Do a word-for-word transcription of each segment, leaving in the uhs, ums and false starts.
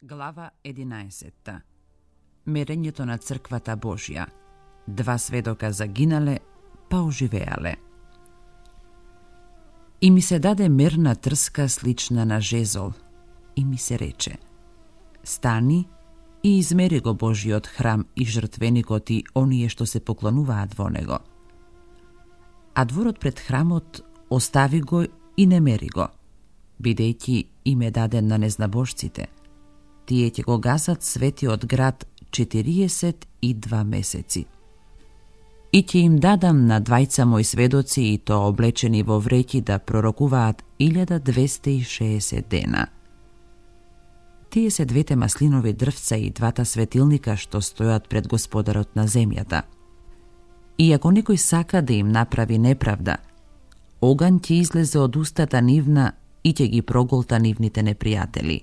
Глава единаесетта. Мерењето на црквата Божја. Два сведока загинале, па оживеале. И ми се даде мерна трска слична на жезол, и ми се рече: стани и измери го Божиот храм и жртвеникот и оние што се поклонуваат во него. А дворот пред храмот остави го и не мери го, бидејќи им е даден на незнабожците. Тие ќе го гасат светиот град четириесет и два месеци. И ќе им дадам на двајца мои сведоци, и то облечени во вреќи, да пророкуваат илјада двесте и шеесет дена. Тие се двете маслинови дрвца и двата светилника што стојат пред Господарот на земјата. И ако некој сака да им направи неправда, оган ќе излезе од устата нивна и ќе ги проголта нивните непријатели.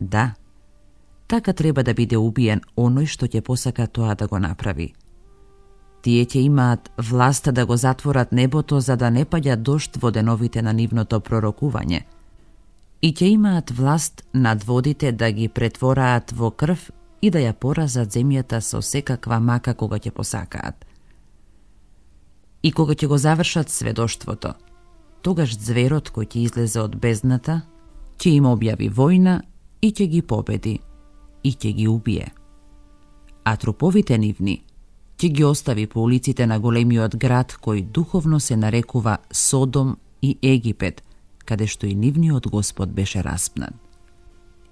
Да, така треба да биде убиен оној што ќе посака тоа да го направи. Тие ќе имаат власта да го затворат небото за да не паѓа дожд во деновите на нивното пророкување, и ќе имаат власт над водите да ги претвораат во крв и да ја поразат земјата со секаква мака кога ќе посакаат. И кога ќе го завршат сведоштвото, тогаш зверот кој ќе излезе од бездната ќе им објави војна и ќе ги победи и ќе ги убие. А труповите нивни ќе ги остави по улиците на големиот град кој духовно се нарекува Содом и Египет, каде што и нивниот Господ беше распнат.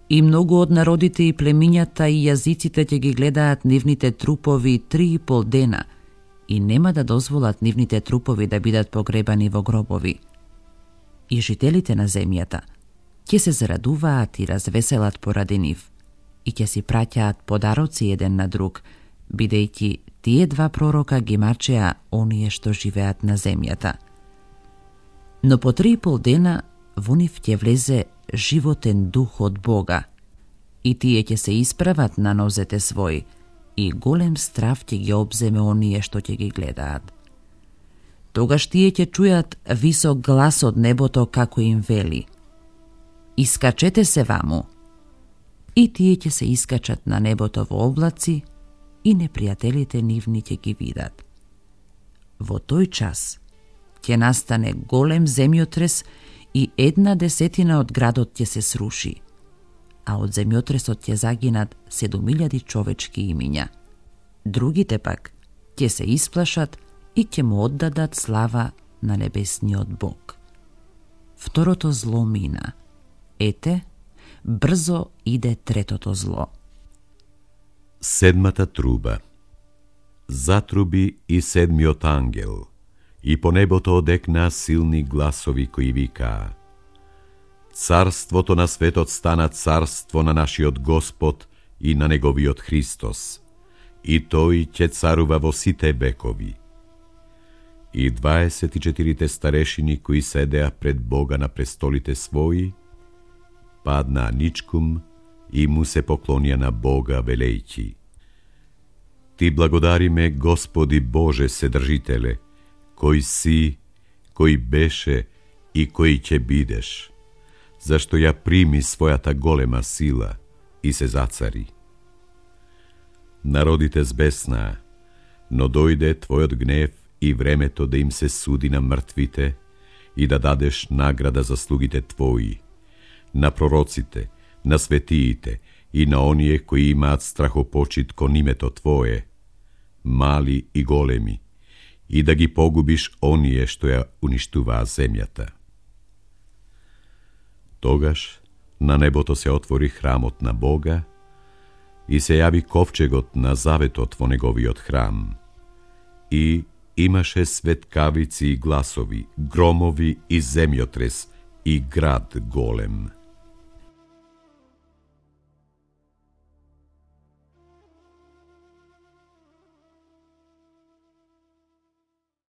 И многу од народите и племињата и јазиците ќе ги гледаат нивните трупови три и пол дена и нема да дозволат нивните трупови да бидат погребани во гробови. И жителите на земјата ќе се зарадуваат и развеселат поради нив и ќе си праќаат подароци еден на друг, бидејќи тие два пророка ги мачеа оние што живеат на земјата. Но по три и пол дена во нив ќе влезе животен дух од Бога и тие ќе се исправат на нозете своји и голем страв ќе ги обземе оние што ќе ги гледаат. Тогаш тие ќе чујат висок глас од небото како им вели: искачете се ваму. И тие ќе се искачат на небото во облаци и непријателите нивни ќе ги видат. Во тој час ќе настане голем земјотрес и една десетина од градот ќе се сруши, а од земјотресот ќе загинат седум илјади човечки имиња. Другите пак ќе се исплашат и ќе му оддадат слава на небесниот Бог. Второто зло мина. Ете, брзо иде третото зло. Седмата труба. Затруби и седмиот ангел, и по небото одекнаа силни гласови кои викаа: Царството на светот стана царство на нашиот Господ и на неговиот Христос, и тој ќе царува во сите векови. И дваесет и четирите старешини кои седеа пред Бога на престолите своји, паднаа ничкум и му се поклонија на Бога велејќи: Ти благодариме, Господи Боже Вседржителе, кој си, кој беше и кој ќе бидеш, зашто ја прими својата голема сила и се зацари. Народите збеснаа, но дојде Твојот гнев и времето да им се суди на мртвите и да дадеш награда за слугите Твои, на пророците, на светиите и на оние кои имаат страхопочит кон името Твое, мали и големи, и да ги погубиш оние што ја уништуваа земјата. Тогаш на небото се отвори храмот на Бога и се јави ковчегот на заветот во неговиот храм. И имаше светкавици и гласови, громови и земјотрес и град голем.